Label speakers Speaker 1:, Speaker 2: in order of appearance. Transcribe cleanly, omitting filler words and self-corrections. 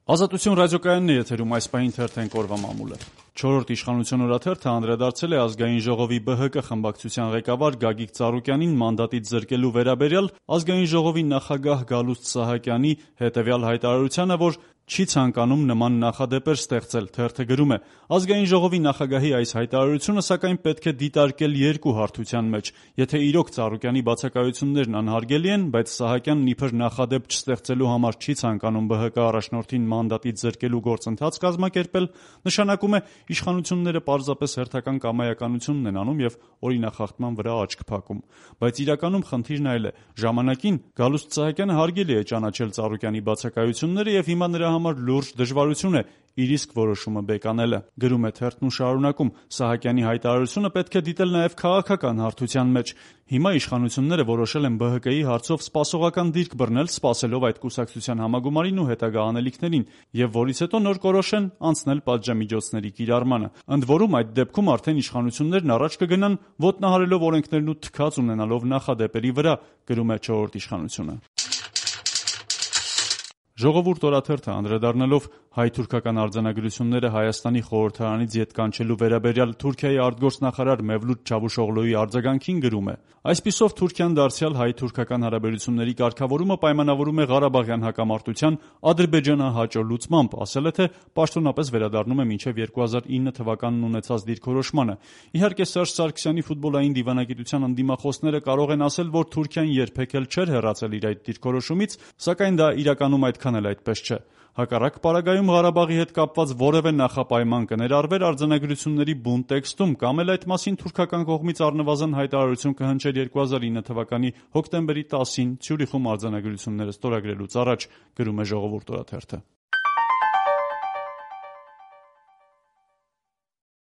Speaker 1: Ազատություն ռադիոկայանն է եթերում, այս պահին թերթենք օրվա մամուլը։ Չորրորդ իշխանություն օրաթերթը անդրադարձել է Ազգային ժողովի ԲՀԿ խմբակցության ղեկավար Գագիկ Ծառուկյանին մանդատից զրկելու վերաբերյալ Ազգային ժողովի նախագահ Գալուստ Սահակյանի հետևյալ հայտարարությանը, որ չի ցանկանում նման նախադեպեր ստեղծել։ Թերթը գրում է. Ազգային ժողովի նախագահի այս հայտարարությունը սակայն պետք է դիտարկել երկու հարթության մեջ։ Եթե իրոք Ծառուկյանի բացակայություններն անհարգելի են, բայց Սահակյանն իբր նախադեպ չստեղծելու համար չի ցանկանում ԲՀԿ առաջնորդին մանդատից զրկելու գործընթաց կազմակերպել, նշանակում է իշխանությունները պարզապես հերթական կամայականությունն են անում եւ օրինախախտման վրա աչք փակում։ Բայց իրականում խնդիրն այլ է։ Ժամանակին Գալուստ Սահակյանը հարգելի է ճանաչել Ծառուկյանի բացակայությունները եւ հիմա նրա համար լուրջ դժվարություն է իր իսկ որոշումը բեկանելը։ Գրում է թերթն ու շարունակում. Սահակյանի հայտարարությունը պետք է դիտել նաև քաղաքական հարթության մեջ։ Հիմա իշխանությունները որոշել են ԲՀԿ-ի հարցով սպասողական դիրք բռնել, սպասելով այդ կուսակցության համագումարին ու հետագա անելիքներին, եւ որից հետո նոր կորոշեն անցնել պատժամիջոցների կիրառմանը։ Ընդ որում այդ դեպքում արդեն իշխանություններն առաջ կգնան ոտնահարելով օրենքներն ու թքած ունենալով նախադեպերի վրա, գրում է չորրորդ իշխանությունը։ Ժողովուրդ օրաթերթը անդրադառնալով հայ-թուրքական արձանագրությունները Հայաստանի խորհրդարանից ետ կանչելու վերաբերյալ Թուրքիայի արտգործնախարար Մևլութ Չավուշօղլուի արձագանքին գրում է. Այսպիսով Թուրքիան դարձյալ հայ-թուրքական հարաբերությունների կարգավորումը պայմանավորում է Ղարաբաղյան հակամարտության ադրբեջանահաճո լուծմամբ, ասել է, թե պաշտոնապես վերադառնում է մինչև 2009 թվականն ունեցած դիրքորոշմանը։ Իհարկե Սերժ Սարգսյանի ֆուտբոլային դիվանագիտության ընդդիմախոսները կարող են ասել, որ Թուրքիան երբեք էլ չէր հեռացել իր այդ դիրքորոշումից, սակայն դա իրականում այդքան էլ այդպես չէ։ Հակառակ պարագայում Ղարաբաղի հետ կապված որևէ նախապայման կներառվեր արձանագրությունների բուն տեքստում կամ էլ այդ մասին թուրքական կողմից առնվազն հայտարարություն կհնչեր 2009 թվականի հոկտեմբերի 10-ին Ցյուրիխում արձանագրությունները ստորագրելուց առաջ, գրում է Ժողովուրդ օրաթերթը։